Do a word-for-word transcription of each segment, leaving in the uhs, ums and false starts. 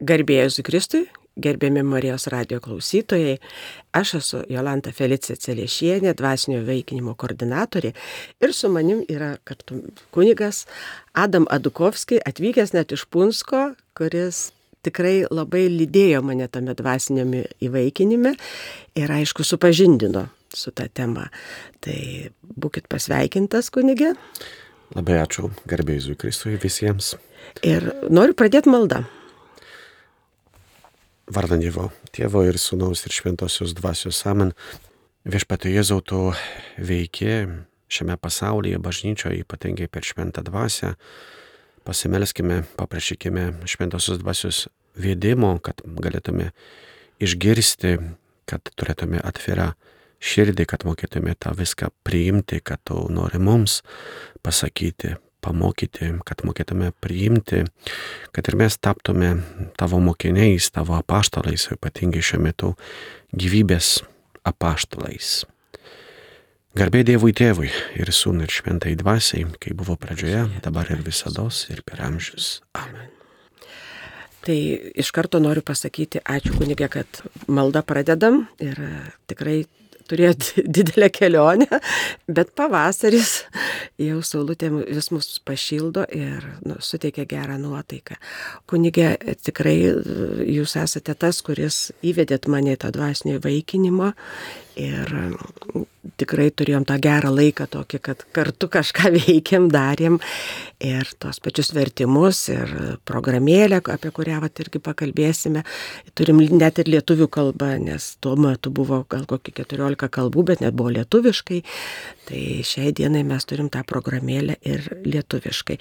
Garbė Jėzui Kristui, gerbiami Marijos radijo klausytojai, aš esu Jolanta Felicija Celiešienė, dvasinio įvaikinimo koordinatorė ir su manim yra kartu kunigas Adam Adukovski, atvykęs net iš Punsko, kuris tikrai labai lydėjo mane tame dvasiniame įvaikinime ir aišku supažindino su ta tema. Tai būkit pasveikintas, kunige. Labai ačiū, garbė Jėzui Kristui visiems. Ir noriu pradėti maldą. Vardan Dievo, Tėvo ir Sūnaus ir Šventosios Dvasios amen. Viešpatie Jėzau, tu veiki šiame pasaulyje, bažnyčioje, ypatingai per Šventą Dvasią. Pasimelskime, paprašykime Šventosios Dvasios vedimo, kad galėtume išgirsti, kad turėtume atvirą širdį, kad mokėtume tą viską priimti, kad tu nori mums pasakyti, pamokyti, kad mokėtume priimti, kad ir mes taptume tavo mokiniais, tavo apaštalais, ypatingai šiuo metu gyvybės apaštalais. Garbė Dievui Tėvui ir Sūnui ir Šventai Dvasiai, kai buvo pradžioje, dabar ir visados ir per amžius. Amen. Tai iš karto noriu pasakyti ačiū kunige, kad maldą pradedam ir tikrai turėjot didelę kelionę, bet pavasaris jau saulutė vis mus pašildo ir nu, suteikia gerą nuotaiką. Kunige, tikrai jūs esate tas, kuris įvedėt mane į tą dvasinio įvaikinimą ir tikrai turėjom tą gerą laiką tokį, kad kartu kažką veikėm, darėm ir tos pačius vertimus ir programėlę, apie kurią vat irgi pakalbėsime. Turim net ir lietuvių kalbą, nes tuo metu buvo gal kokį keturiolika kalbų, bet net buvo lietuviškai. Tai šiai dienai mes turim tą programėlę ir lietuviškai.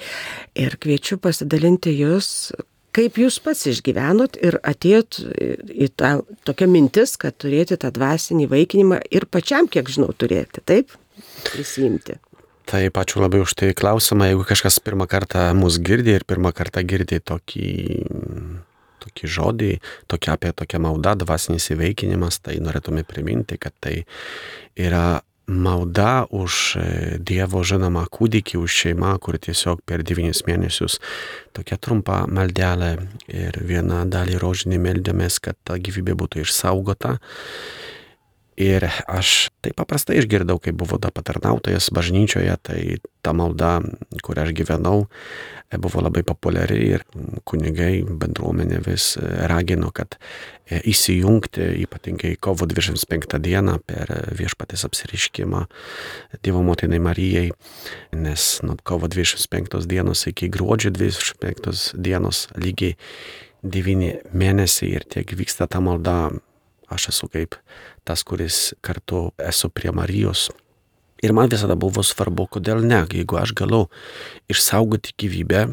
Ir kviečiu pasidalinti jūs, kaip jūs pats išgyvenot ir atėjot į tą tokią mintis, kad turėti tą dvasinį įvaikinimą ir pačiam, kiek žinau, turėti, taip? Prisimti. Taip, ačiū labai už tai klausimą. Jeigu kažkas pirmą kartą mus girdi ir pirmą kartą girdi tokį, tokį žodį, tokį, apie tokią maldą, dvasinis įvaikinimas, tai norėtume priminti, kad tai yra malda už Dievo žinomą kūdikį, už šeimą, kur tiesiog per devynis mėnesius tokia trumpa maldelė ir vieną dalį rožinį meldėmės, kad ta gyvybė būtų išsaugota. Ir aš taip paprastai išgirdau, kai buvo da patarnautojas bažnyčioje, tai ta malda, kur aš gyvenau, buvo labai populiari ir kunigai, bendruomenė vis ragino, kad įsijungti, ypatingai kovo dvidešimt penktą dieną per Viešpaties apsireiškimą Dievo motinai Marijai, nes nuo kovo dvidešimt penktos dienos iki gruodžio dvidešimt penktos dienos lygiai devyni mėnesiai ir tiek vyksta ta malda. Aš esu kaip tas, kuris kartu esu prie Marijos. Ir man visada buvo svarbu, kodėl ne, jeigu aš galiu išsaugoti gyvybę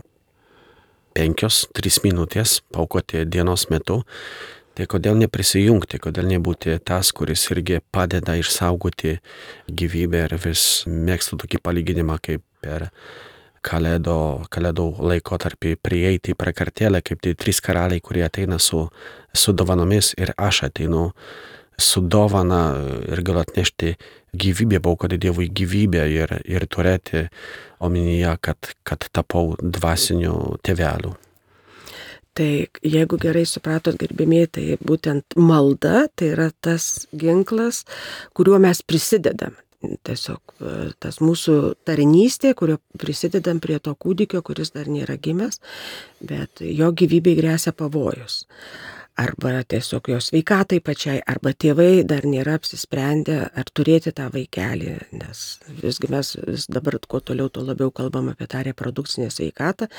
penkios, trys minutės paaukoti dienos metu, tai kodėl neprisijungti, kodėl nebūti tas, kuris irgi padeda išsaugoti gyvybę ir vis mėgstu tokį palyginimą kaip per kalėdų, kalėdų laikotarpį prieiti į prakartėlę, kaip tai trys karaliai, kurie ateina su, su dovanomis ir aš ateinu su dovana ir galiu atnešti gyvybę, paaukoti Dievui gyvybę ir, ir turėti omenyje, kad, kad tapau dvasiniu tėveliu. Tai jeigu gerai supratot, gerbėmiai, tai būtent malda tai yra tas ginklas, kuriuo mes prisidedam. Tiesiog tas mūsų tarnystė, kurio prisidedam prie to kūdikio, kuris dar nėra gimęs, bet jo gyvybei gresia pavojus. Arba tiesiog jo sveikatai pačiai, arba tėvai dar nėra apsisprendę ar turėti tą vaikelį, nes visgi mes vis dabar kuo toliau, tuo labiau kalbam apie tą reprodukcinę sveikatą.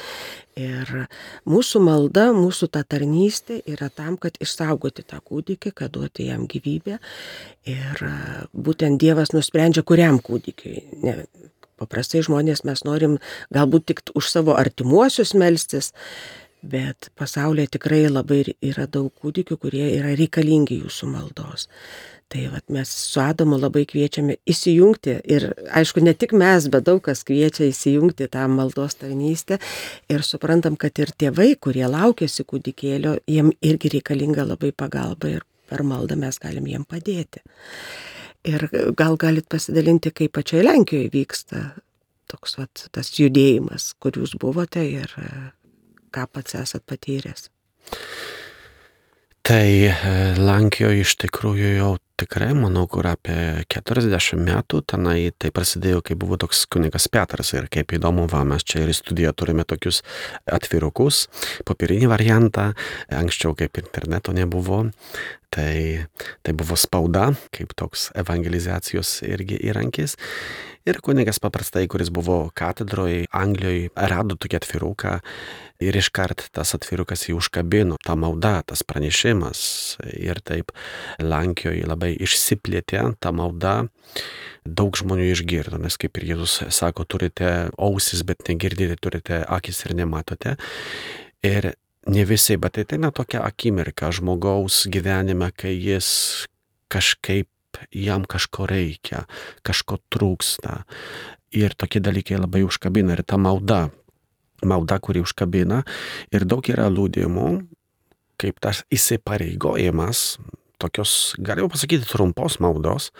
Ir mūsų malda, mūsų ta tarnystė yra tam, kad išsaugoti tą kūdikį, kad duoti jam gyvybę. Ir būtent Dievas nusprendžia, kuriam kūdikiui. Ne, paprastai žmonės mes norim galbūt tik už savo artimuosius melstis, bet pasaulyje tikrai labai yra daug kūdikių, kurie yra reikalingi jūsų maldos. Tai vat, mes su Adamu labai kviečiame įsijungti ir aišku, ne tik mes, bet daug kas kviečia įsijungti tą maldos tarnystę ir suprantam, kad ir tėvai, kurie laukiasi kūdikėlio, jiem irgi reikalinga labai pagalba ir per maldą mes galim jiem padėti. Ir gal galit pasidalinti, kaip pačiai Lenkijoje vyksta toks vat, tas judėjimas, kur jūs buvote ir ką pats esat patyręs. Tai Lenkijoje iš tikrųjų jau tikrai, manau, kur apie keturiasdešimt metų tenai tai prasidėjo, kai buvo toks kunigas Petras ir kaip įdomu, va, mes čia ir studijoje turime tokius atvirukus, popierinį variantą, anksčiau kaip interneto nebuvo, tai, tai buvo spauda, kaip toks evangelizacijos irgi įrankis. Ir kunigas paprastai, kuris buvo katedroje Anglijoje, rado tokį atviruką ir iškart tas atvirukas jį užkabino, ta malda, tas pranešimas. Ir taip Lenkijoje labai išsiplėtė ta malda, daug žmonių išgirdo, nes kaip ir Jėzus sako, turite ausis, bet negirdite, turite akis ir nematote. Ir ne visi, bet tai ne tokia akimirka žmogaus gyvenime, kai jis kažkaip jam kažko reikia, kažko trūksta. Ir tokie dalykai labai užkabina. Ir ta malda, malda, kuri užkabina. Ir daug yra liudijimų, kaip tas įsipareigojimas, tokios, galima pasakyti, trumpos maldos,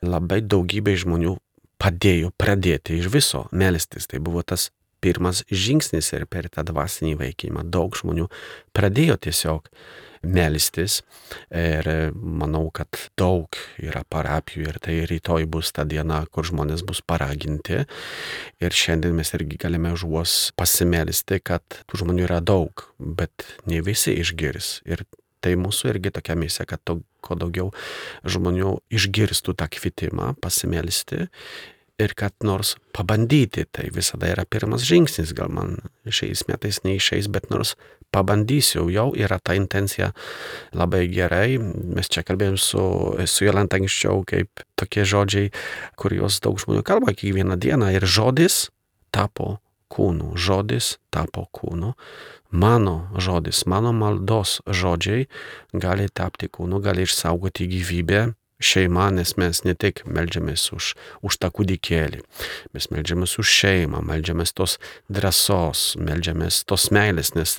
labai daugybė žmonių padėjo pradėti iš viso melstis. Tai buvo tas pirmas žingsnis ir per tą dvasinį veikimą. Daug žmonių pradėjo tiesiog melstis ir manau, kad daug yra parapijų ir tai rytoj bus ta diena, kur žmonės bus paraginti ir šiandien mes irgi galime už juos pasimelsti, kad tų žmonių yra daug, bet ne visi išgirs ir tai mūsų irgi tokia misija, kad to, kuo daugiau žmonių išgirstų tą kvietimą pasimelsti ir kad nors pabandyti, tai visada yra pirmas žingsnis, gal man šiais metais neišeis, bet nors pabandysiu, jau yra ta intencija labai gerai. Mes čia kalbėjom su, su Jolanta anksčiau, kaip tokie žodžiai, kuriuos daug žmonių kalba kiekvieną dieną ir žodis tapo kūnu, žodis tapo kūnu. Mano žodis, mano maldos žodžiai gali tapti kūnu, gali išsaugoti gyvybę. Šeima, nes mes ne tik meldžiamės už, už tą kūdikėlį, mes meldžiamės už šeimą, meldžiamės tos drąsos, meldžiamės tos meilės, nes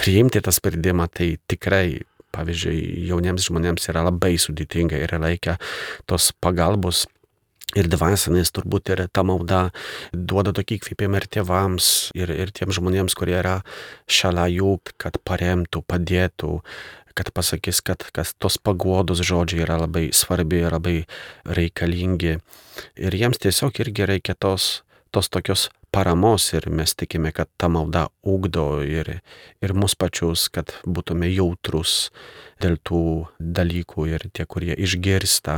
priimti tą sprendimą tai tikrai, pavyzdžiui, jauniems žmonėms yra labai sudėtinga ir reikia tos pagalbos ir dvasinės, turbūt ir ta malda duoda tokį įkvėpimą ir tėvams, ir, ir tiems žmonėms, kurie yra šalia jų, kad paremtų, padėtų, kad pasakys, kad, kad tos paguodos žodžiai yra labai svarbi, labai reikalingi. Ir jiems tiesiog irgi reikia tos, tos tokios paramos ir mes tikime, kad ta malda ugdo ir, ir mus pačius, kad būtume jautrus dėl tų dalykų ir tie, kurie išgirsta,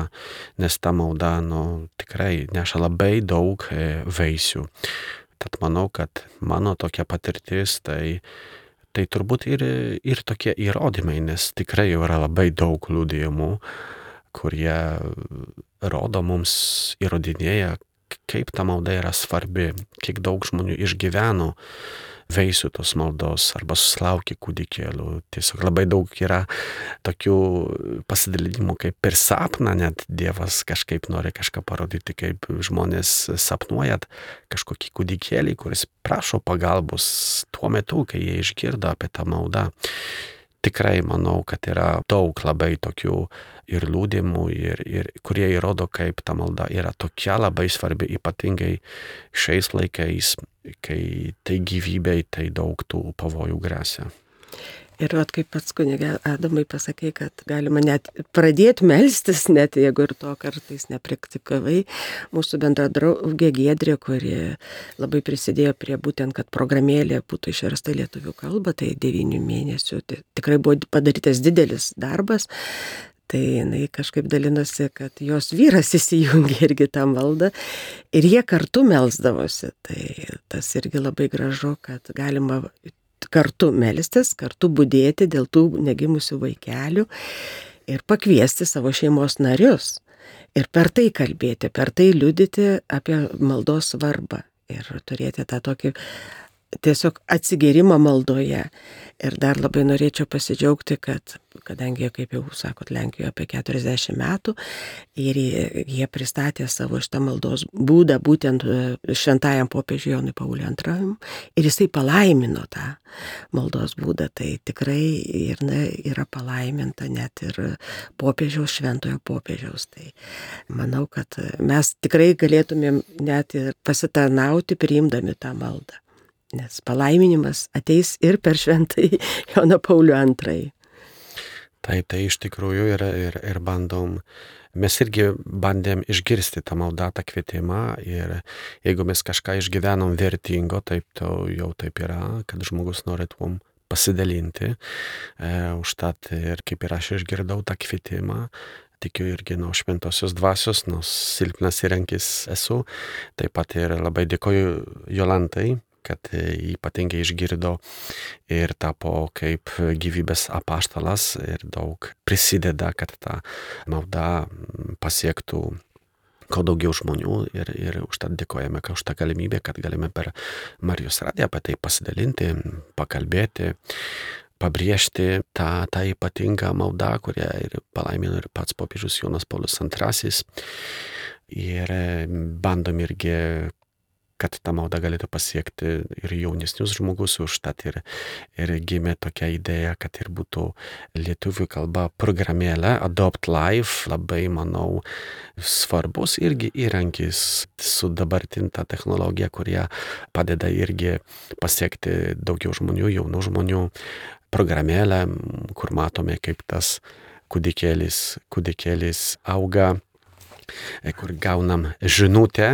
nes ta malda, nu, tikrai neša labai daug vaisių. Tad manau, kad mano tokia patirtis, tai Tai turbūt ir, ir tokie įrodymai, nes tikrai jau yra labai daug liudijimų, kurie rodo mums, įrodinėja, kaip ta malda yra svarbi, kiek daug žmonių išgyveno vaisių tos maldos arba susilaukė kūdikėlių. Tiesiog labai daug yra tokių pasidalinimų, kaip per sapną net Dievas kažkaip nori kažką parodyti, kaip žmonės sapnuojat kažkokį kūdikėlį, kuris prašo pagalbos tuo metu, kai jie išgirdo apie tą maldą. Tikrai manau, kad yra daug labai tokių ir liudijimų, ir, ir, kurie įrodo, kaip ta malda yra tokia labai svarbi, ypatingai šiais laikais, kai tai gyvybei, tai daug tų pavojų gresia. Ir vat, kaip pats kunige Adamai pasakė, kad galima net pradėti melstis, net jeigu ir to kartais nepraktikavai. Mūsų bendra draugė Giedrė, kuri labai prisidėjo prie būtent, kad programėlė būtų išversta į lietuvių kalbą, tai devynių mėnesių. Tai tikrai buvo padarytas didelis darbas. Tai jinai kažkaip dalinosi, kad jos vyras įsijungė irgi tą maldą ir jie kartu melsdavosi. Tai tas irgi labai gražu, kad galima kartu melstis, kartu budėti dėl tų negimusių vaikelių ir pakviesti savo šeimos narius. Ir per tai kalbėti, per tai liudyti apie maldos svarbą ir turėti tą tokį tiesiog atsigėrimą maldoje. Ir dar labai norėčiau pasidžiaugti, kad kadangi, kaip jau sakot, Lenkijoje apie keturiasdešimt metų ir jie pristatė savo šitą maldos būdą būtent šventajam popiežiui Jonui Pauliui antrajam ir jisai palaimino tą maldos būdą. Tai tikrai ir, na, yra palaiminta net ir popiežiaus, šventojo popiežiaus. Tai manau, kad mes tikrai galėtumėm net ir pasitarnauti priimdami tą maldą. Nes palaiminimas ateis ir per šventąjį Joną Paulių antrąjį. Taip, tai iš tikrųjų ir, ir, ir bandom, mes irgi bandėm išgirsti tą maldą, tą kvietimą ir jeigu mes kažką išgyvenom vertingo, taip to jau taip yra, kad žmogus nori tuom pasidalinti. E, užtat ir kaip ir aš išgirdau tą kvietimą, tikiu irgi nuo šventosios dvasios, nors silpnas įrankis esu. Taip pat ir labai dėkoju Jolantai, kad ypatingai išgirdo ir tapo kaip gyvybės apaštalas ir daug prisideda, kad ta malda pasiektų kuo daugiau žmonių ir, ir užtat dėkojame už tą galimybę, kad galime per Marijos radiją apie tai pasidalinti, pakalbėti, pabrėžti tą, tą ypatingą maldą, kurią ir palaimino ir pats popiežius Jonas Paulius antrasis. Ir bandom irgi, kad ta malda galėtų pasiekti ir jaunesnius žmogus, užtat ir, ir gimė tokia idėja, kad ir būtų lietuvių kalba programėlė Adopt Life, labai, manau, svarbus irgi įrankis su dabartinta technologija, kurie padeda irgi pasiekti daugiau žmonių, jaunų žmonių. Programėlę, kur matome, kaip tas kūdikėlis, kūdikėlis auga, kur gaunam žinutę,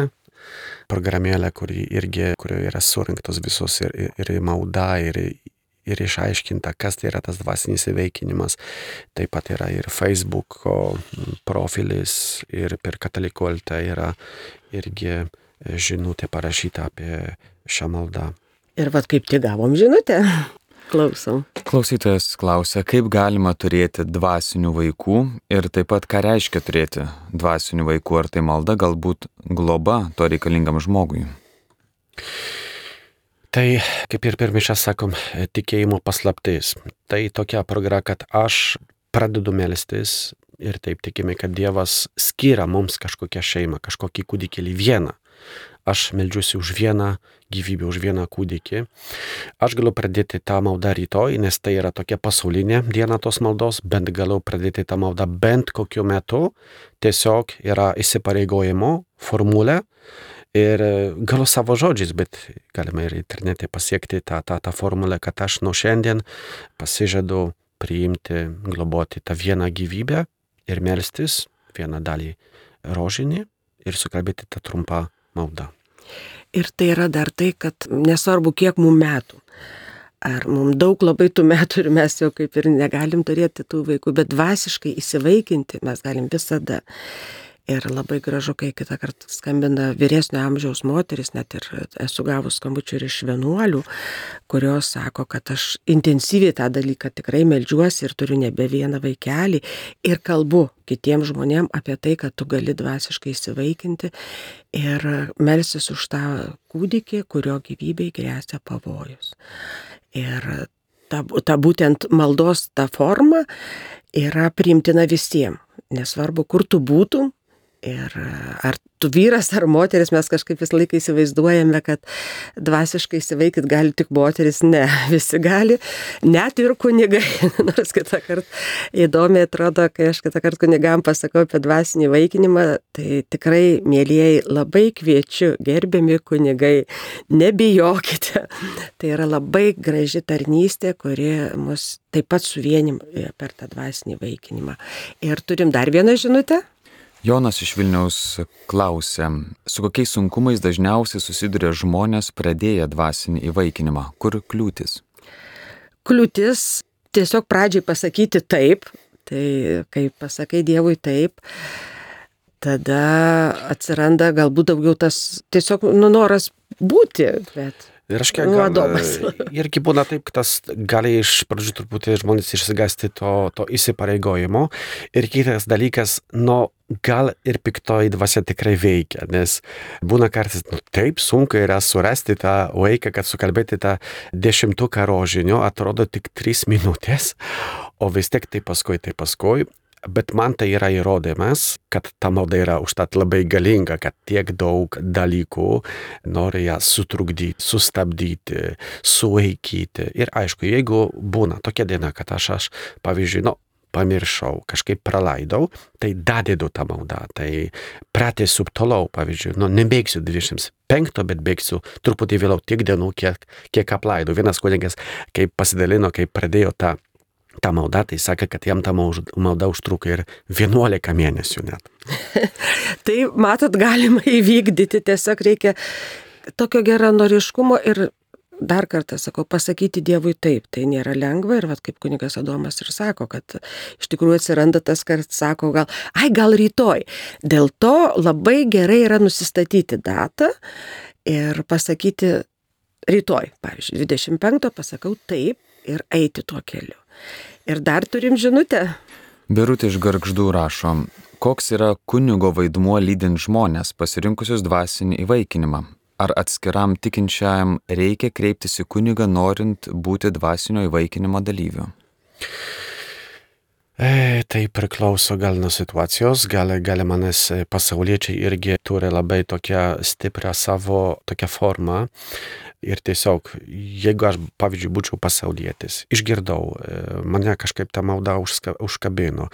programėlę, kuri irgi, kurioje yra surinktos visos ir, ir, ir malda, ir, ir išaiškinta, kas tai yra tas dvasinis įveikinimas. Taip pat yra ir Facebook'o profilis, ir per Katalikų L T yra irgi žinutė parašyta apie šią maldą. Ir vat kaip tik gavom žinutę. Klausom. Klausytojas klausia, kaip galima turėti dvasinių vaikų ir taip pat ką reiškia turėti dvasinių vaikų, ar tai malda, galbūt globa to reikalingam žmogui. Tai, kaip ir per mišias sakom, tikėjimo paslaptis. Tai tokia programa, kad aš pradedu melstis ir taip tikime, kad Dievas skiria mums kažkokią šeimą, kažkokį kūdikėlį vieną. Aš meldžiuosi už vieną gyvybę, už vieną kūdikį. Aš galiu pradėti tą maldą rytoj, nes tai yra tokia pasaulinė diena tos maldos, bent galiu pradėti tą maldą bent kokiu metu. Tiesiog yra įsipareigojimo formulė ir galiu savo žodžiais, bet galima ir internete pasiekti tą, tą, tą formulę, kad aš nuo šiandien pasižadu priimti, globoti tą vieną gyvybę ir melstis vieną dalį rožinį ir sukalbėti tą trumpą maldą. Ir tai yra dar tai, kad nesvarbu, kiek mums metų. Ar mums daug labai tų metų ir mes jau kaip ir negalim turėti tų vaikų, bet dvasiškai įsivaikinti mes galim visada. Ir labai gražu, kai kitą kartą skambina vyresnio amžiaus moteris, net ir esu gavus skambučių ir iš vienuolių, kurios sako, kad aš intensyviai tą dalyką tikrai meldžiuosi ir turiu nebe vieną vaikelį ir kalbu kitiems žmonėms apie tai, kad tu gali dvasiškai įsivaikinti ir melsis už tą kūdikį, kurio gyvybei gresia pavojus. Ir ta, ta būtent maldos ta forma yra priimtina visiems, nesvarbu, kur tu būtum. Ir ar tu vyras, ar moteris, mes kažkaip visą laiką įsivaizduojame, kad dvasiškai įsivaikyti gali tik moteris. Ne, visi gali, net ir kunigai. Nors kitą kartą įdomiai atrodo, kai aš kitą kartą kunigam pasakau apie dvasinį vaikinimą, tai tikrai, mielieji, labai kviečiu, gerbiami kunigai, nebijokite. Tai yra labai graži tarnystė, kuri mus taip pat suvienim per tą dvasinį vaikinimą. Ir turim dar vieną žinutę. Jonas iš Vilniaus klausia, su kokiais sunkumais dažniausiai susiduria žmonės pradėję dvasinį įvaikinimą? Kur kliūtis? Kliūtis tiesiog pradžiai pasakyti taip, tai kai pasakai Dievui taip, tada atsiranda galbūt daugiau tas tiesiog nu, noras būti, bet... Ir aš kiek gal, irgi būna taip, kad tas gali iš pradžių truputį žmonės išsigąsti to, to įsipareigojimo. Ir kitas dalykas, nu, gal ir piktoji dvasia tikrai veikia, nes būna kartais, nu, taip sunku yra surasti tą vaiką, kad sukalbėti tą dešimtuką rožinio, atrodo tik trys minutės, o vis tiek tai paskui, tai paskui. Bet man tai yra įrodymas, kad ta malda yra užtat labai galinga, kad tiek daug dalykų nori ją sutrukdyti, sustabdyti, sulaikyti. Ir aišku, jeigu būna tokia diena, kad aš, aš pavyzdžiui, nu, pamiršau, kažkaip praleidau, tai dadedu tą maldą, tai pratęsiu toliau, pavyzdžiui, nu, nebėgsiu dvidešimt penktą, bet bėgsiu truputį vėliau tiek dienų, kiek, kiek apleidau. Vienas kunigas, kaip pasidalino, kaip pradėjo tą tą maldą, tai sakė, kad jam ta malda užtruko ir vienuolika mėnesių net. Tai matot, galima įvykdyti, tiesiog reikia tokio geranoriškumo ir dar kartą sakau, pasakyti Dievui taip, tai nėra lengva ir vat, kaip kunigas Adomas ir sako, kad iš tikrųjų atsiranda tas, kad sako gal, ai gal rytoj. Dėl to labai gerai yra nusistatyti datą ir pasakyti rytoj, pavyzdžiui, dvidešimt penktą pasakau taip ir eiti tuo keliu. Ir dar turim žinutę. Birutė iš Gargždų rašo, koks yra kunigo vaidmuo lydint žmonės pasirinkusius dvasinį įvaikinimą? Ar atskiram tikinčiajam reikia kreiptis į kunigą, norint būti dvasinio įvaikinimo dalyviu? E, tai priklauso gal nuo situacijos, gal, gal manęs pasauliečiai irgi turi labai tokią stiprią savo tokią formą. Ir tiesiog, jeigu aš, pavyzdžiui, būčiau pasaulietis, išgirdau, mane kažkaip ta malda užska, užkabino,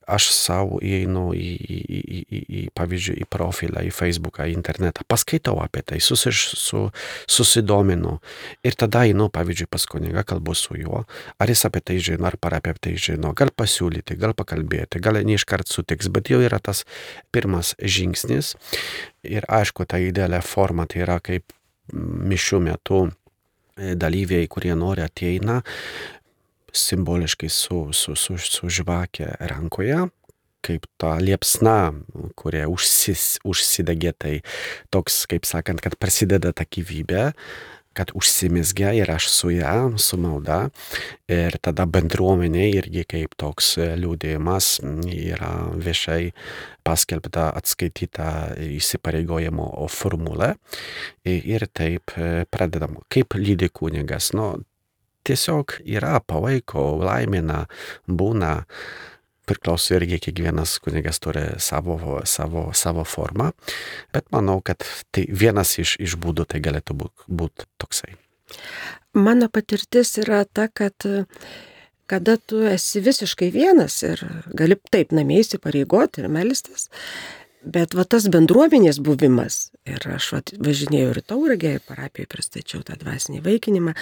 aš savo įeinu į, į, į, į, į, pavyzdžiui, į profilą, į Facebooką, į internetą, paskaitau apie tai, susiš, su, susidominu ir tada einu, pavyzdžiui, pas kunigą, kalbu su juo, ar jis apie tai žino, ar par apie tai žino, gal pasiūlyti, gal pakalbėti, gal ne iškart sutiks, bet jau yra tas pirmas žingsnis ir aišku, ta idealia forma tai yra kaip mišių metu dalyviai, kurie nori ateina simboliškai su, su, su, su žvakė rankoje, kaip ta liepsna, kurie užsis, užsidegė, tai toks, kaip sakant, kad prasideda ta gyvybė, kad užsimizgia ir aš su ją, su malda ir tada bendruomenė irgi kaip toks liūdėjimas yra viešai paskelbta atskaityta įsipareigojimo formulė ir taip pradedam. Kaip lydi kunigas? Nu, tiesiog yra, palaiko, laimina, būna. Priklauso irgi kiekvienas kunigas turi savo, savo, savo formą, bet manau, kad tai vienas iš, iš būdų tai galėtų būt, būt toksai. Mano patirtis yra ta, kad kada tu esi visiškai vienas ir gali taip namie įsipareigoti ir melstis, bet va tas bendruomenės buvimas, ir aš va, važinėjau ir Tauragę, ir parapijoje pristačiau tą dvasinį įvaikinimą,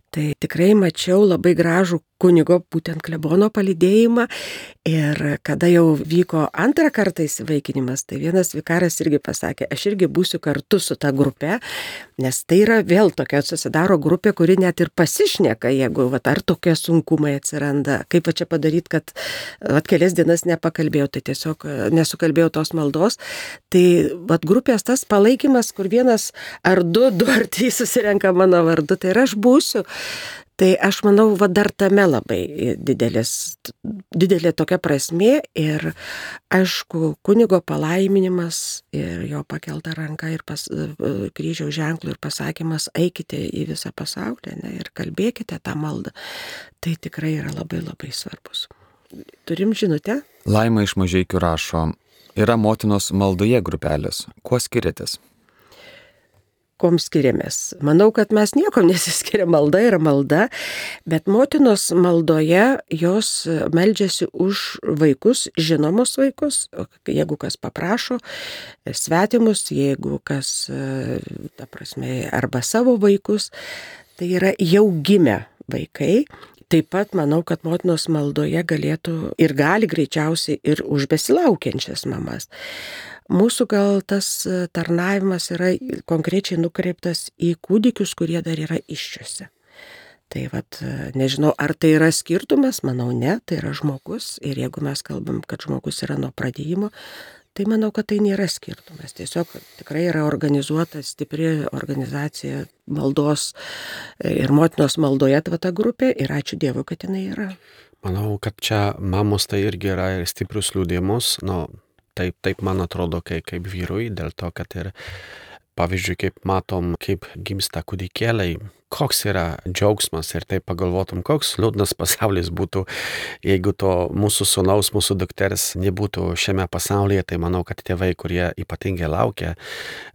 tai tikrai mačiau labai gražų kunigo, būtent klebono palydėjimą ir kada jau vyko antrą kartą įsivaikinimas, tai vienas vikaras irgi pasakė, aš irgi būsiu kartu su ta grupe, nes tai yra vėl tokia susidaro grupė, kuri net ir pasišneka, jeigu vat, ar tokie sunkumai atsiranda, kaip va čia padaryti, kad vat, kelias dienas nepakalbėjau, tai tiesiog nesukalbėjau tos maldos, tai vat, grupės tas palaikymas, kur vienas ar du, du ar trys susirenka mano vardu, tai ir aš būsiu. Tai aš manau, va dar tame labai didelis, didelė tokia prasmė ir aišku, kunigo palaiminimas ir jo pakelta ranka ir pas, kryžiaus ženklų ir pasakymas eikite į visą pasaulį, ne, ir kalbėkite tą maldą. Tai tikrai yra labai labai svarbus. Turim žinutę? Laima iš Mažeikių rašo, yra motinos maldoje grupelės. Kuo skiriatės? Kom skiriamės. Manau, kad mes niekom nesiskiria, malda yra malda, bet motinos maldoje jos meldžiasi už vaikus, žinomus vaikus, jeigu kas paprašo, svetimus, jeigu kas, ta prasme, arba savo vaikus, tai yra jau gimę vaikai. Taip pat manau, kad motinos maldoje galėtų ir gali greičiausiai ir už besilaukiančias mamas. Mūsų gal tas tarnavimas yra konkrečiai nukreiptas į kūdikius, kurie dar yra įsčiose. Tai vat, nežinau, ar tai yra skirtumas, manau ne, tai yra žmogus ir jeigu mes kalbam, kad žmogus yra nuo pradėjimo, tai manau, kad tai nėra skirtumas. Tiesiog tikrai yra organizuota stipri organizacija maldos ir motinos maldoje ta grupė ir ačiū Dievui, kad jinai yra. Manau, kad čia mamos tai irgi yra ir stiprius liudijimus, nu, taip, taip man atrodo kaip, kaip vyrui, dėl to, kad ir pavyzdžiui, kaip matom, kaip gimsta kūdikėliai, koks yra džiaugsmas ir taip pagalvotum, koks liūdnas pasaulis būtų, jeigu to mūsų sūnaus, mūsų dukters nebūtų šiame pasaulyje, tai manau, kad tėvai, kurie ypatingai laukia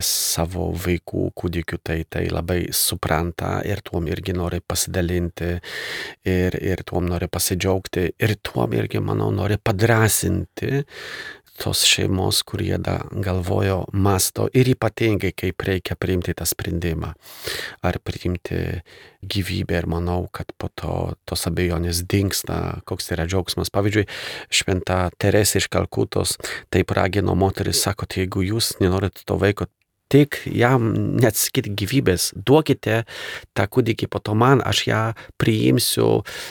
savo vaikų kūdikių, tai, tai labai supranta ir tuom irgi nori pasidalinti ir, ir tuom nori pasidžiaugti ir tuom irgi, manau, nori padrasinti tos šeimos, kurie da galvojo, masto ir ypatingai, kaip reikia priimti tą sprendimą. Ar priimti gyvybę ir manau, kad po to tos abejonės dingsta, koks yra džiaugsmas. Pavyzdžiui, šventa Teresė iš Kalkutos taip ragino moteris, sako, tai jeigu jūs nenorite to vaiko, tik jam neatskirti gyvybės, duokite tą kūdikį po to man, aš ją priimsiu,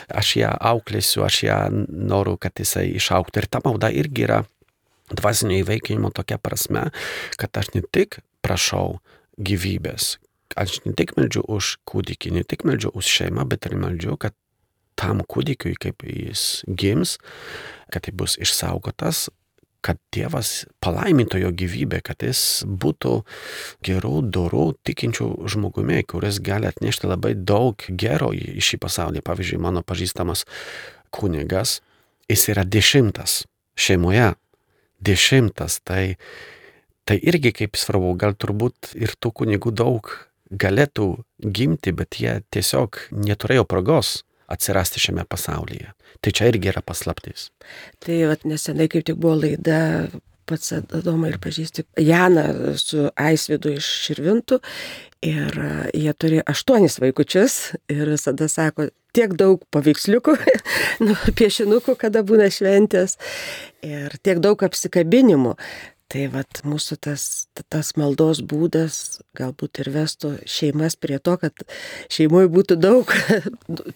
aš ją auklėsiu, aš ją noriu, kad jisai išaugtų. Ir ta malda irgi yra dvasinio įveikinimo tokia prasme, kad aš ne tik prašau gyvybės, aš ne tik meldžiu už kūdikį, ne tik meldžiu už šeimą, bet ir meldžiu, kad tam kūdikiui, kaip jis gims, kad jis bus išsaugotas, kad Dievas palaimintų jo gyvybę, kad jis būtų gerų, dorų, tikinčių žmogumi, kuris gali atnešti labai daug gero į šį pasaulį. Pavyzdžiui, mano pažįstamas kunigas, jis yra dešimtas šeimoje. Dešimtas, tai, tai irgi kaip svarbu, gal turbūt ir tų kunigų daug galėtų gimti, bet jie tiesiog neturėjo progos atsirasti šiame pasaulyje. Tai čia irgi yra paslaptis. Tai vat, nesenai kaip tik buvo laida, pats Adomą ir pažįsti, Janą su Aisvydu iš Širvintų ir jie turi aštuonis vaikučius ir visada sako, tiek daug paveiksliukų, nu, piešinukų, kada būna šventės ir tiek daug apsikabinimų. Tai vat mūsų tas, tas maldos būdas galbūt ir vestų šeimas prie to, kad šeimoje būtų daug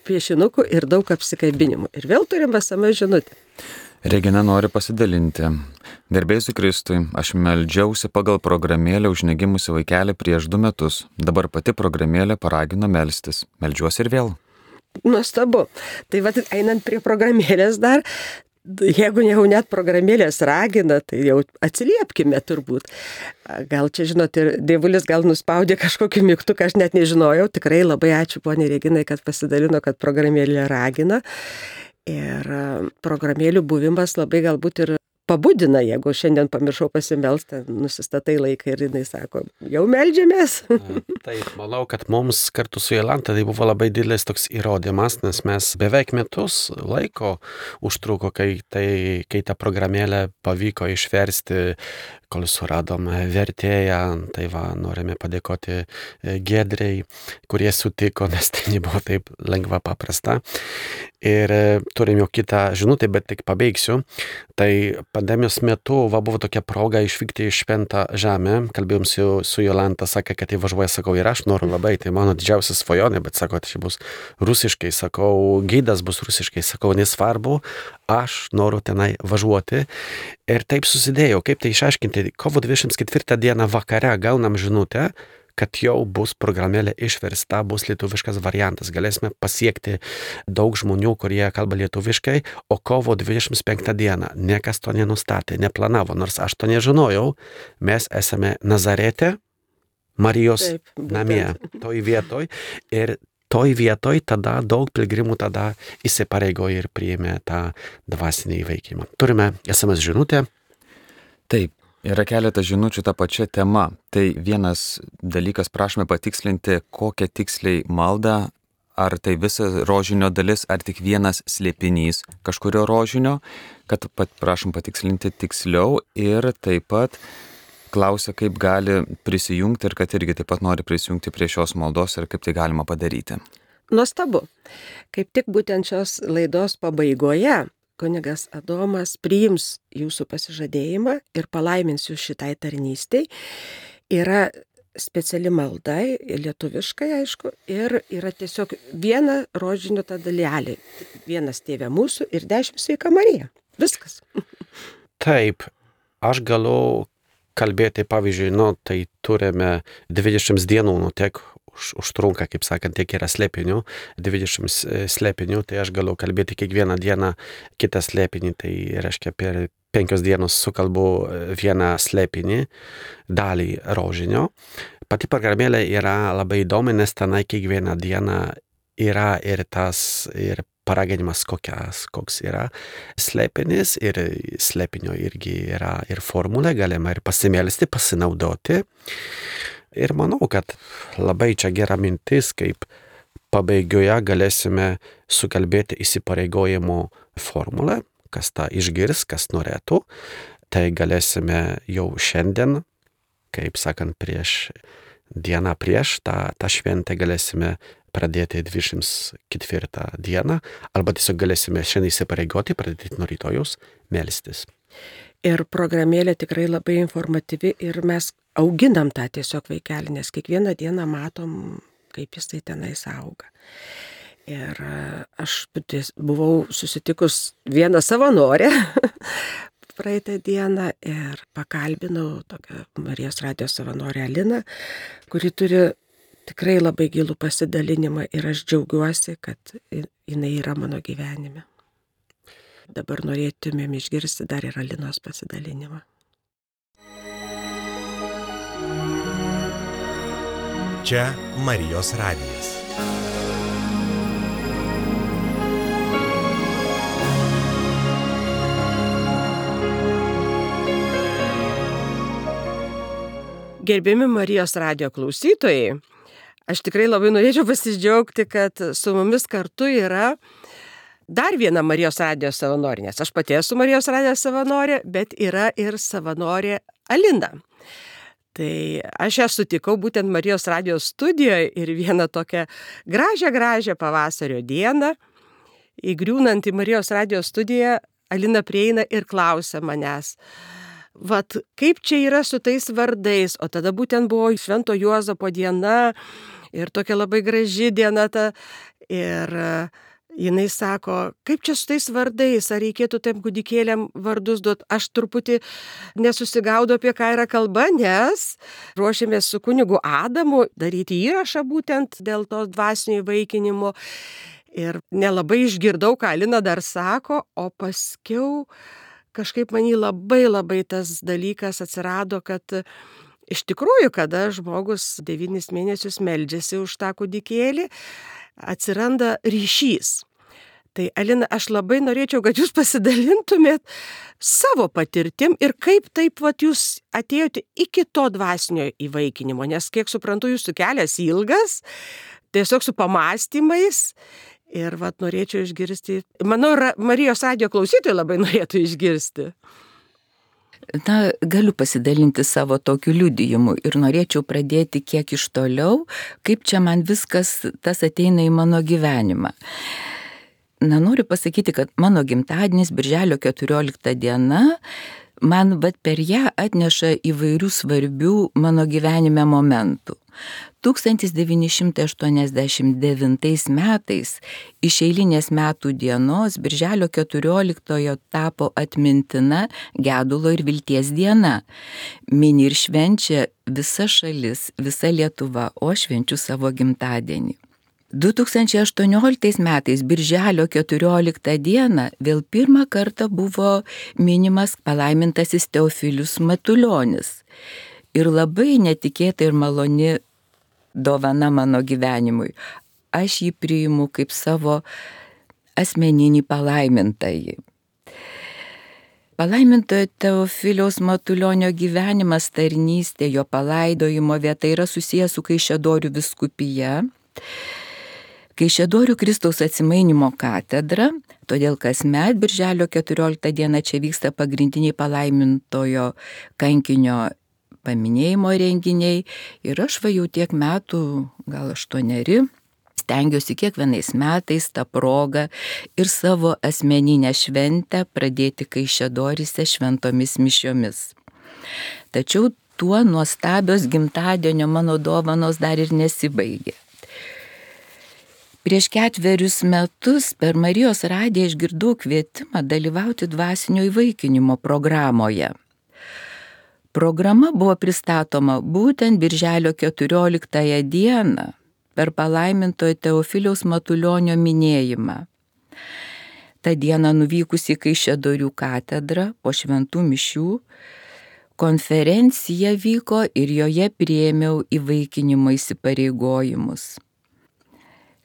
piešinukų ir daug apsikabinimų. Ir vėl turim esamą žinutę. Regina nori pasidalinti. Garbėsiu Kristui, aš meldžiausi pagal programėlę už negimusi vaikelį prieš du metus. Dabar pati programėlė paragino melstis. Meldžiuosi ir vėl. Nuostabu. Tai vat einant prie programėlės dar, jeigu jau net programėlės ragina, tai jau atsiliepkime turbūt. Gal čia, žinot, ir dievulis gal nuspaudė kažkokį mygtuką, aš net nežinojau. Tikrai labai ačiū poniai Reginai, kad pasidalino, kad programėlė ragina. Ir programėlių buvimas labai galbūt ir pabudina, jeigu šiandien pamiršau pasimelsti, nusistatai laiką ir jinai sako, jau meldžiamės. Taip, manau, kad mums kartu su Jolanta tai buvo labai didelis toks įrodymas, nes mes beveik metus laiko užtruko, kai, tai, kai tą programėlę pavyko išversti, kol suradom vertėją, tai va, norime padėkoti Giedrei, kurie sutiko, nes tai nebuvo taip lengva paprasta. Ir turim jau kitą žinutę, bet tik pabaigsiu. Tai pandemijos metu va, buvo tokia proga išvykti į Šventą Žemę. Kalbėjom su, su Jolanta, sakė, kad jį važiuoja, sakau, ir aš noriu labai, tai mano didžiausia svajonė, bet sako, tai čia bus rusiškai, sakau, gidas bus rusiškai, sakau, nesvarbu, aš noriu tenai važiuoti. Ir taip susidėjo, kaip tai išaiškinti, kovo dvidešimt ketvirtą dieną vakare gaunam žinutę, kad jau bus programėlė išversta, bus lietuviškas variantas. Galėsime pasiekti daug žmonių, kurie kalba lietuviškai, o kovo dvidešimt penktą dieną niekas to nenustatė, neplanavo, nors aš to nežinojau. Mes esame Nazarete, Marijos Taip, namie, toj vietoj. Ir toj vietoj tada daug pilgrimų tada įsipareigojo ir priėmė tą dvasinį įveikimą. Turime es em es žinutę. Taip. Yra keletas žinučių tą pačią temą. Tai vienas dalykas, prašome patikslinti, kokią tiksliai maldą, ar tai visa rožinio dalis, ar tik vienas slėpinys kažkurio rožinio, kad pat, prašom patikslinti tiksliau ir taip pat klausia, kaip gali prisijungti ir kad irgi taip pat nori prisijungti prie šios maldos ir kaip tai galima padaryti. Nuostabu. Kaip tik būtent šios laidos pabaigoje kunigas Adomas priims jūsų pasižadėjimą ir palaimins jūs šitai tarnystei. Yra speciali malda, lietuviškai aišku, ir yra tiesiog viena rožinio ta dalelė. Vienas Tėve mūsų ir dešimt Sveika Marija. Viskas. Taip, aš galiu kalbėti, pavyzdžiui, nu, tai turime dvidešimt dienų, nu, tiek užtrunka, kaip sakant, tiek yra slėpinių, dvidešimt slėpinių, tai aš galiu kalbėti kiekvieną dieną kitą slėpinį, tai reiškia per penkios dienos sukalbu vieną slėpinį, dalį rožinio. Pati programėlė yra labai įdomi, nes tenai kiekvieną dieną yra ir tas, ir paraginimas kokias, koks yra slėpinis, ir slėpinio irgi yra ir formulė, galima ir pasimelsti, pasinaudoti. Ir manau, kad labai čia gera mintis, kaip pabaigoje galėsime sukalbėti įsipareigojimo formulę, kas tą išgirs, kas norėtų. tai galėsime jau šiandien, kaip sakant, prieš dieną prieš tą, tą šventę galėsime pradėti dvidešimt ketvirtą dieną, arba tiesiog galėsime šiandien įsipareigoti, pradėti nuo rytojus melstis. Ir programėlė tikrai labai informatyvi ir mes auginam tą tiesiog vaikelį, nes kiekvieną dieną matom, kaip jisai tenais auga. Ir aš buvau susitikus vieną savanorę praeitą dieną ir pakalbinau tokią Marijos radijo savanorę Aliną, kuri turi tikrai labai gilų pasidalinimą ir aš džiaugiuosi, kad jinai yra mano gyvenime. Dabar norėtumėm išgirsti dar ir Alinos pasidalinimą. Čia Marijos radijas. Gerbiami Marijos radijo klausytojai, aš tikrai labai norėčiau pasidžiaugti, kad su mumis kartu yra dar viena Marijos radijo savanorė, nes aš pati esu Marijos radijo savanorė, bet yra ir savanorė Alina. Tai aš ją sutikau būtent Marijos radijo studijoje ir vieną tokią gražią, gražią pavasario dieną, įgriūnant į Marijos radijo studiją, Alina prieina ir klausia manęs, vat kaip čia yra su tais vardais, o tada būtent buvo Švento Juozapo diena ir tokia labai graži diena ta ir jinai sako, kaip čia su tais vardais, ar reikėtų tiem kūdikėliam vardus duoti, aš truputį nesusigaudau apie ką yra kalba, nes ruošėmės su kunigu Adamu daryti įrašą būtent dėl to dvasinio įvaikinimo ir nelabai išgirdau, ką Alina dar sako, o paskiau kažkaip man jį labai labai tas dalykas atsirado, kad iš tikrųjų, kada žmogus devynis mėnesius meldžiasi už tą kūdikėlį, atsiranda ryšys. Tai Alina, aš labai norėčiau, kad jūs pasidalintumėt savo patirtim ir kaip taip vat, jūs atėjote iki to dvasinio įvaikinimo, nes kiek suprantu, jūsų kelias ilgas, tiesiog su pamastymais. Ir vat norėčiau išgirsti, manau, Marijos radijo klausytojai labai norėtų išgirsti. Na, galiu pasidalinti savo tokiu liudijimu ir norėčiau pradėti kiek iš toliau, kaip čia man viskas tas ateina į mano gyvenimą. Na, noriu pasakyti, kad mano gimtadienis, birželio keturiolikta diena, man vat per ją atneša įvairių svarbių mano gyvenime momentų. tūkstantis devyni šimtai aštuoniasdešimt devintais metais iš eilinės metų dienos birželio keturioliktojo tapo atmintina gedulo ir vilties diena. Mini ir švenčia visa šalis, visa Lietuva, o švenčiu savo gimtadienį. du tūkstančiai aštuonioliktais metais birželio keturioliktą dieną vėl pirmą kartą buvo minimas palaimintasis Teofilius Matulionis. Ir labai netikėta ir maloni dovana mano gyvenimui. Aš jį priimu kaip savo asmeninį palaimintąjį. Palaimintojo Teofiliaus Matulionio gyvenimas, tarnystė, jo palaidojimo vieta yra susijęs su Kaišiadorių vyskupija. Kaišiadorių Kristaus Atsimainimo katedra, todėl kasmet birželio keturioliktą dieną čia vyksta pagrindiniai palaimintojo kankinio paminėjimo renginiai ir aš va jau tiek metų, gal aštuoneri, stengiuosi kiekvienais metais tą progą ir savo asmeninę šventę pradėti Kaišiadoryse šventomis mišiomis. Tačiau tuo nuostabios gimtadienio mano dovanos dar ir nesibaigė. Prieš ketverius metus per Marijos radiją išgirdau kvietimą dalyvauti dvasinio įvaikinimo programoje. Programa buvo pristatoma būtent birželio keturioliktąją dieną per palaimintojo Teofiliaus Matulionio minėjimą. Ta diena nuvykus į Kaišiadorių katedrą po šventų mišių, konferencija vyko ir joje priėmiau įvaikinimo įsipareigojimus.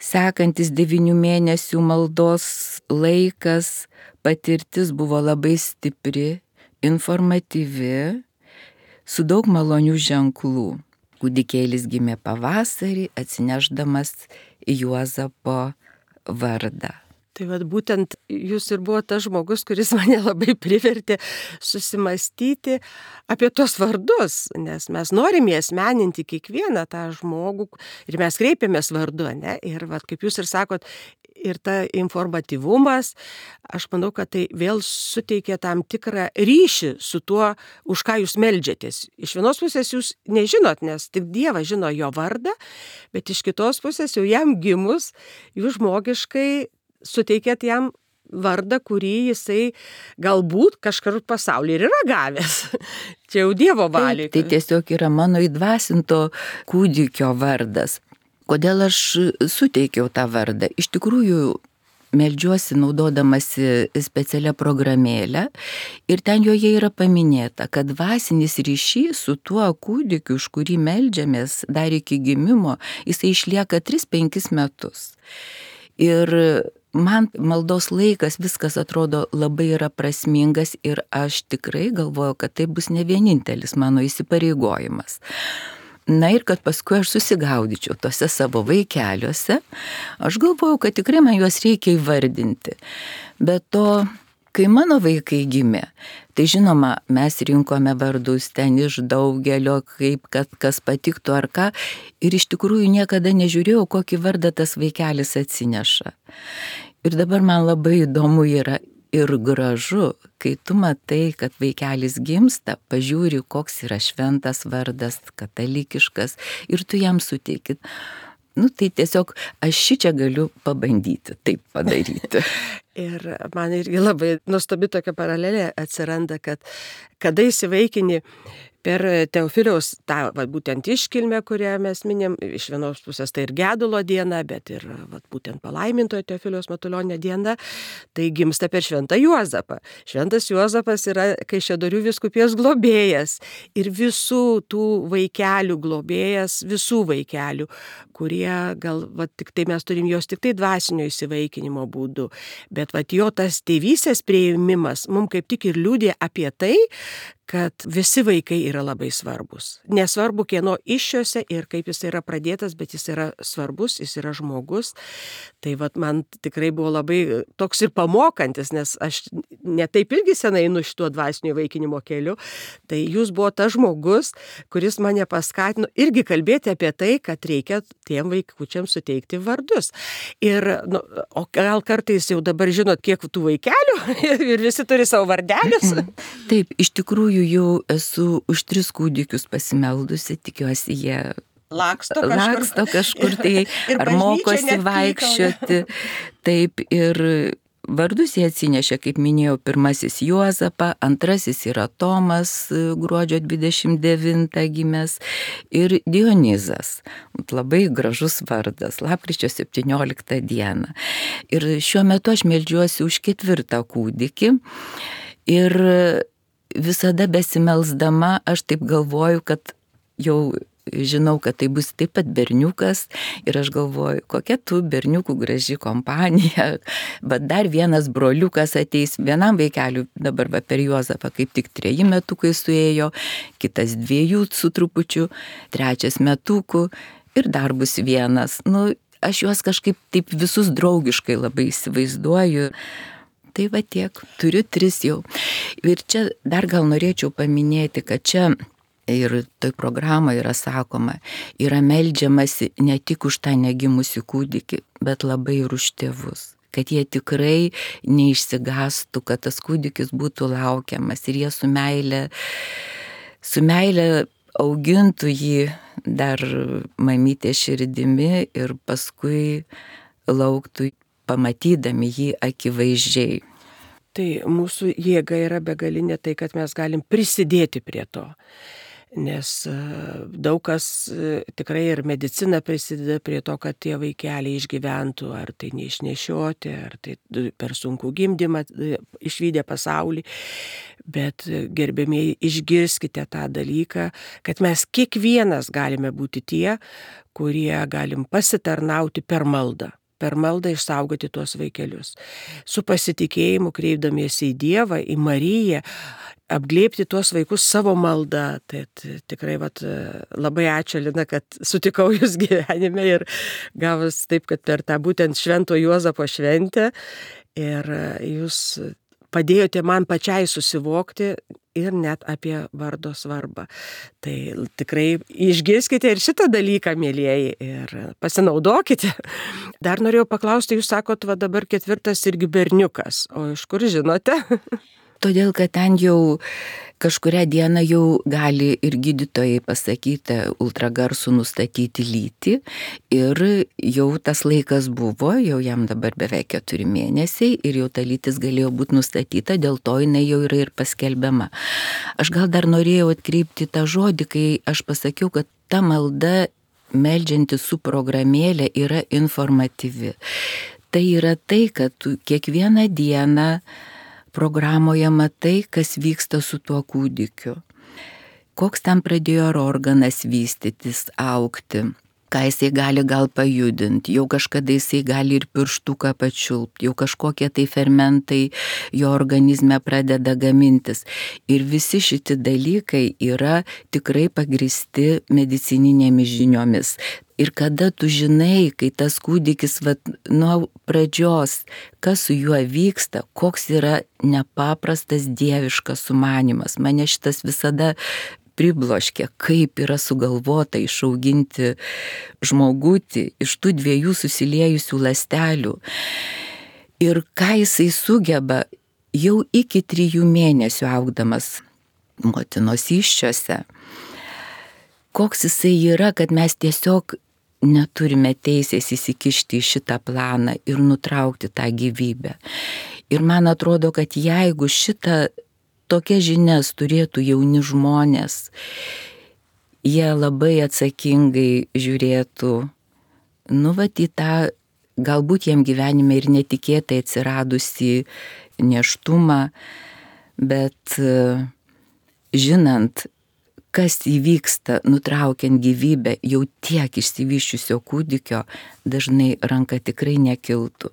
Sekantis devynių mėnesių maldos laikas, patirtis buvo labai stipri, informatyvi, su daug malonių ženklų. Kūdikėlis gimė pavasarį, atsineždamas Juozapo vardą. Tai vad būtent jūs ir buvo tas žmogus, kuris mane labai privertė susimastyti apie tos vardus, nes mes norime asmeninti kiekvieną tą žmogų ir mes kreipiamės vardu, ne? Ir vad, kaip jūs ir sakot, ir ta informatyvumas, aš manau, kad tai vėl suteikia tam tikrą ryšį su tuo, už ką jūs meldžiatės. Iš vienos pusės jūs nežinot, nes tik Dievas žino jo vardą, bet iš kitos pusės jau jam gimus, jūs žmogiškai suteikėt jam vardą, kurį jisai galbūt kažkur pasaulyje ir yra gavęs. Čia jau Dievo valiai. Tai tiesiog yra mano įdvasinto kūdikio vardas. Kodėl aš suteikiau tą vardą? Iš tikrųjų, meldžiuosi naudodamasi specialią programėlę ir ten joje yra paminėta, kad dvasinis ryšys su tuo kūdikiu, už kurį meldžiamės dar iki gimimo, jisai išlieka tris penkis metus. Ir man maldos laikas viskas atrodo labai yra prasmingas ir aš tikrai galvoju, kad tai bus ne vienintelis mano įsipareigojimas. Na ir kad paskui aš susigaudyčiau tose savo vaikeliuose, aš galvojau, kad tikrai man juos reikia įvardinti. Bet to, kai mano vaikai gimė, tai žinoma, mes rinkome vardus ten iš daugelio, kaip kad kas patiktų ar ką, ir iš tikrųjų niekada nežiūrėjau, kokį vardą tas vaikelis atsineša. Ir dabar man labai įdomu yra ir gražu, kai tu matai, kad vaikelis gimsta, pažiūri, koks yra šventas vardas, katalikiškas, ir tu jam suteiki. Nu, tai tiesiog aš šičia galiu pabandyti taip padaryti. Ir man irgi labai nuostabi tokia paralelė atsiranda, kad kada įsivaikini per Teofiliaus tą va, būtent iškilmę, kurią mes minėm, iš vienos pusės tai ir gedulo diena, bet ir va, būtent palaimintojo Teofiliaus Matulionio diena, tai gimsta per Šventą Juozapą. Šventas Juozapas yra Kaišiadorių vyskupijos globėjas ir visų tų vaikelių globėjas, visų vaikelių, kurie gal va, tik tai mes turim jos tik tai dvasinio įsivaikinimo būdu, bet va, jo tas tėvystės priėmimas mums kaip tik ir liudija apie tai, kad visi vaikai yra labai svarbus. Nesvarbu, kieno iššiose ir kaip jis yra pradėtas, bet jis yra svarbus, jis yra žmogus. Tai vat, man tikrai buvo labai toks ir pamokantis, nes aš netaip irgi senai einu šituo dvasinio įvaikinimo keliu. Tai jūs buvo tas žmogus, kuris mane paskatino irgi kalbėti apie tai, kad reikia tiem vaikučiams suteikti vardus. Ir, nu, o gal kartais jau dabar žinot, kiek tų vaikelių ir visi turi savo vardelius. Taip, iš tikrųjų jau esu už tris kūdikius pasimeldusi, tikiuosi jie laksto kažkur, laksto kažkur tai, ar mokosi vaikščioti. Taip, ir vardus jie atsinešė, kaip minėjau, pirmasis Juozapą, antrasis yra Tomas, gruodžio dvidešimt devintą gimęs, ir Dionizas, labai gražus vardas, lapkričio septynioliktą dieną. Ir šiuo metu aš meldžiuosi už ketvirtą kūdikį ir visada besimelsdama aš taip galvoju, kad jau žinau, kad tai bus taip pat berniukas ir aš galvoju, kokia tu berniukų graži kompanija, bet dar vienas broliukas ateis, vienam vaikeliu dabar va, per Juozapą kaip tik treji metukai suėjo, kitas dviejų su trupučiu, trečias metukų ir dar bus vienas. Nu, aš juos kažkaip taip visus draugiškai labai įsivaizduoju. Tai va tiek, turiu tris jau. Ir čia dar gal norėčiau paminėti, kad čia ir toj programoje yra sakoma, yra meldžiamasi ne tik už tą negimusį kūdikį, bet labai ir už tėvus. Kad jie tikrai neišsigastų, kad tas kūdikis būtų laukiamas ir jie su meile, su meile augintų jį dar mamytės širdimi ir paskui lauktų, pamatydami jį akivaizdžiai. Tai mūsų jėga yra begalinė tai, kad mes galim prisidėti prie to. Nes daug kas tikrai ir medicina prisideda prie to, kad tie vaikeliai išgyventų, ar tai neišnešioti, ar tai per sunku gimdymą išvydę pasaulį. Bet gerbėmieji, išgirskite tą dalyką, kad mes kiekvienas galime būti tie, kurie galim pasitarnauti per maldą. per maldą išsaugoti tuos vaikelius. Su pasitikėjimu kreipdamiesi į Dievą, į Mariją, apglėbti tuos vaikus savo maldą. Tai tikrai vat, labai ačiū, Lina, kad sutikau jūs gyvenime ir gavus taip, kad per tą būtent Švento Juozapo šventę ir jūs padėjote man pačiai susivokti ir net apie vardo svarbą. Tai tikrai išgirskite ir šitą dalyką, mėlyjeji, ir pasinaudokite. Dar norėjau paklausti, jūs sakot, va dabar ketvirtas irgi berniukas, o iš kur žinote? Todėl, kad ten jau kažkurią dieną jau gali ir gydytojai pasakyti ultragarsų nustatyti lytį ir jau tas laikas buvo, jau jam dabar beveik keturi mėnesiai ir jau ta lytis galėjo būti nustatyta, dėl to jinai jau yra ir paskelbiama. Aš gal dar norėjau atkreipti tą žodį, kai aš pasakiau, kad ta malda meldžianti su programėlė yra informatyvi. Tai yra tai, kad tu kiekvieną dieną programoje matai, kas vyksta su tuo kūdikiu. Koks ten pradėjo organas vystytis, augti, ką jisai gali gal pajudinti, jau kažkada jisai gali ir pirštuką pačiulpti, jau kažkokie tai fermentai jo organizme pradeda gamintis. Ir visi šitie dalykai yra tikrai pagristi medicininėmis žiniomis. Ir kada tu žinai, kai tas kūdikis vat, nuo pradžios, kas su juo vyksta, koks yra nepaprastas dieviškas sumanymas. Mane šitas visada pribloškia, kaip yra sugalvota išauginti žmogutį iš tų dviejų susiliejusių ląstelių. Ir ką jisai sugeba jau iki trijų mėnesių augdamas motinos įsčiose. Koks jisai yra, kad mes tiesiog neturime teisės įsikišti į šitą planą ir nutraukti tą gyvybę. Ir man atrodo, kad jeigu šitą tokia žinias turėtų jauni žmonės, jie labai atsakingai žiūrėtų, nu vat į tą galbūt jiem gyvenime ir netikėtai atsiradusi nėštumą, bet žinant, kas įvyksta nutraukiant gyvybę jau tiek išsivyščiusio kūdikio, dažnai ranka tikrai nekiltų.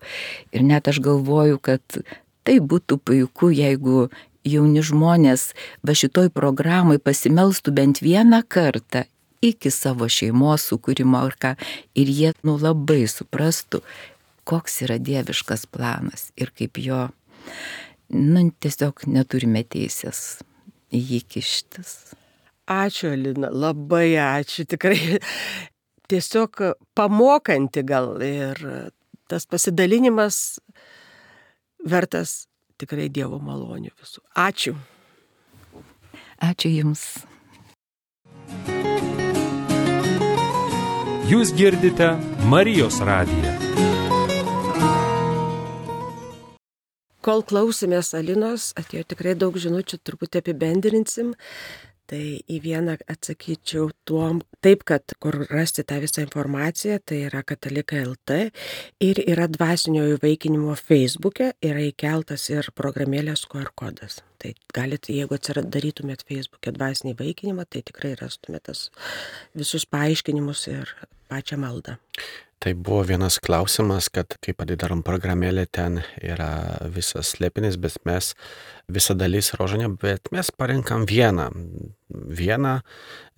Ir net aš galvoju, kad tai būtų puiku, jeigu jauni žmonės va šitoj programai pasimelstų bent vieną kartą iki savo šeimos sukūrimo ar ką, ir jie nu labai suprastų, koks yra dieviškas planas ir kaip jo, nu tiesiog neturime teisės į jį kištis. Ačiū, Lina, labai ačiū, tikrai tiesiog pamokanti gal ir tas pasidalinimas vertas tikrai Dievo malonių visų. Ačiū. Ačiū Jums. Jūs girdite Marijos radiją. Kol klausėmės Alinos, atėjo tikrai daug žinučių, truputį apibendrinsim. Tai į vieną atsakyčiau tuom, taip, kad kur rasti tą visą informaciją, tai yra Katalikai taškas el te ir yra dvasinio įvaikinimo Facebook'e, yra įkeltas ir programėlės Q R kodas. Tai galit, jeigu atsidarytumėt Facebook'e dvasinį įvaikinimą, tai tikrai rastumėt tas visus paaiškinimus ir pačią maldą. Tai buvo vienas klausimas, kad kai padarom programėlę, ten yra visas slėpinis, bet mes visą dalis rožinio, bet mes parinkam vieną. Vieną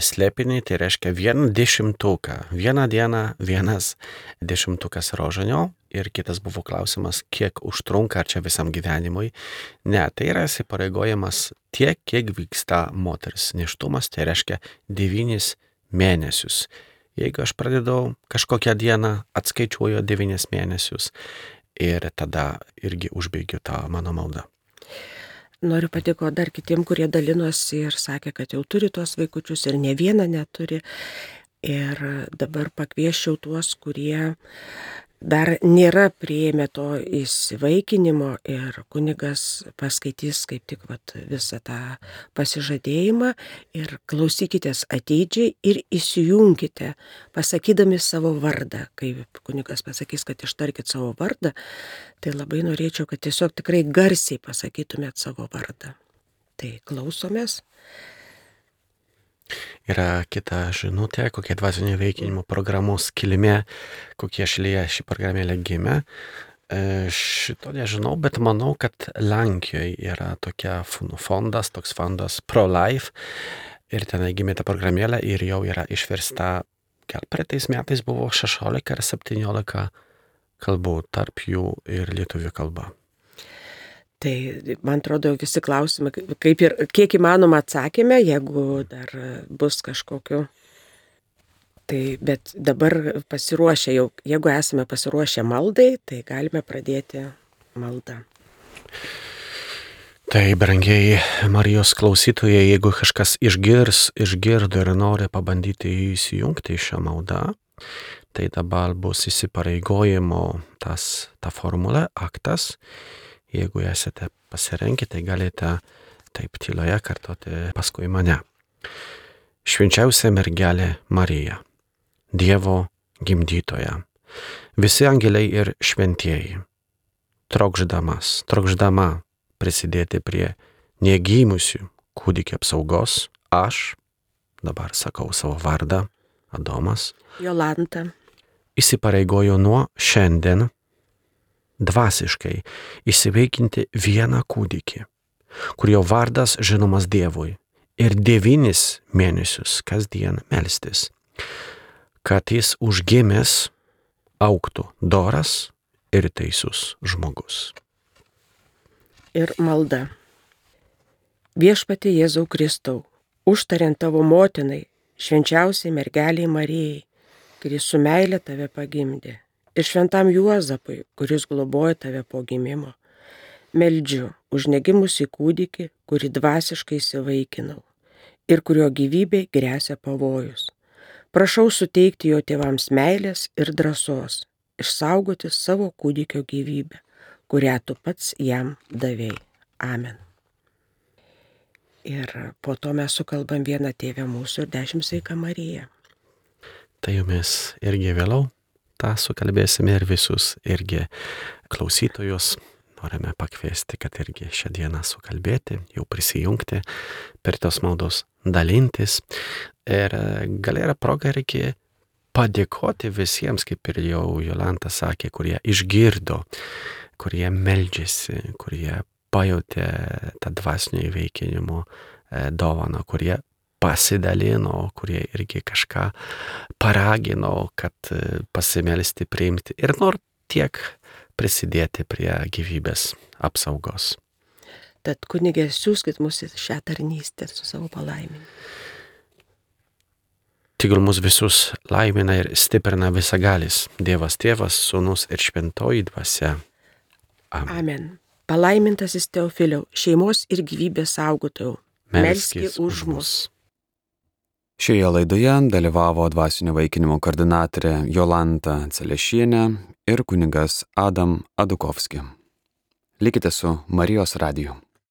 slėpinį, tai reiškia vieną dešimtuką. Vieną dieną vienas dešimtukas rožinio. Ir kitas buvo klausimas, kiek užtrunka, ar čia visam gyvenimui. Ne, tai yra įsipareigojimas tiek, kiek vyksta moters nėštumas, tai reiškia devynis mėnesius. Jeigu aš pradedu kažkokią dieną, atskaičiuoju devynis mėnesius ir tada irgi užbaigiu tą mano maldą. Noriu padėkoti dar kitiem, kurie dalinosi ir sakė, kad jau turi tuos vaikučius ir ne vieną neturi. Ir dabar pakvieščiau tuos, kurie dar nėra priėmę to įsivaikinimo ir kunigas paskaitys kaip tik vat, visą tą pasižadėjimą ir klausykitės ateidžiai ir įsijunkite, pasakydami savo vardą. Kai kunigas pasakys, kad ištarkit savo vardą, tai labai norėčiau, kad tiesiog tikrai garsiai pasakytumėt savo vardą. Tai klausomės. Yra kita žinutė, kokia dvasinio įveikinimo programos kilmė, kokie šalyje ši programėlė gimė. Šito nežinau, bet manau, kad Lenkijoje yra tokia fondas, toks fondas Pro-Life ir ten gimė ta programėlė ir jau yra išversta, gal praeitais metais buvo šešiolika ar septyniolika kalbų, tarp jų ir lietuvių kalba. Tai, man atrodo, visi klausimai, kaip ir kiek įmanoma atsakėme, jeigu dar bus kažkokiu. Tai, bet dabar pasiruošę jau, jeigu esame pasiruošę maldai, tai galime pradėti maldą. Tai, brangiai Marijos klausytojai, jeigu kažkas išgirs, išgirdo ir nori pabandyti įsijungti į šią maldą, tai dabar bus įsipareigojimo tas, ta formulė, aktas. Jeigu esate pasirengę, tai galite taip tyloje kartoti paskui mane. Švenčiausia mergelė Marija, Dievo gimdytoja, visi angeliai ir šventieji, trokšdamas, trokšdama prisidėti prie negimusių kūdikio apsaugos, aš, dabar sakau savo vardą, Adomas, Jolanta, įsipareigoju nuo šiandien dvasiškai įsiveikinti vieną kūdikį, kurio vardas žinomas Dievui, ir devynis mėnesius kasdien melstis, kad jis užgimęs augtų doras ir teisus žmogus. Ir malda. Viešpatie Jėzau Kristau, užtariant tavo motinai, švenčiausiai mergeliai Marijai, kuris su meile tave pagimdė, ir šventam Juozapui, kuris globoja tave po gimimo, meldžiu už negimusį kūdikį, kurį dvasiškai įsivaikinau ir kurio gyvybei gresia pavojus. Prašau suteikti jo tėvams meilės ir drąsos, išsaugoti savo kūdikio gyvybę, kurią tu pats jam davei. Amen. Ir po to mes sukalbam vieną Tėvę mūsų ir dešimt Sveika Marija. Tai jumis irgi vėliau tą sukalbėsime ir visus irgi klausytojus norime pakviesti, kad irgi šią dieną sukalbėti, jau prisijungti, per tos maldos dalintis. Ir gal yra proga reikia padėkoti visiems, kaip ir jau Jolanta sakė, kurie išgirdo, kurie meldžiasi, kurie pajutė tą dvasinio įveikinimo dovaną, kurie pasidalino, kurie irgi kažką paragino, kad pasimelsti, priimti ir nor tiek prisidėti prie gyvybės apsaugos. Tad kunigė, siųskit mus į šią tarnystę su savo palaiminimu. Tegul mus visus laimina ir stiprina visagalis Dievas Tėvas, Sūnus ir Šventoji Dvasia. Amen. Amen. Palaimintasis Teofiliau, šeimos ir gyvybės saugotojau, melski už mus. Šioje laidoje dalyvavo dvasinio įvaikinimo koordinatorė Jolanta Celešienė ir kunigas Adam Adukovski. Likite su Marijos radiju.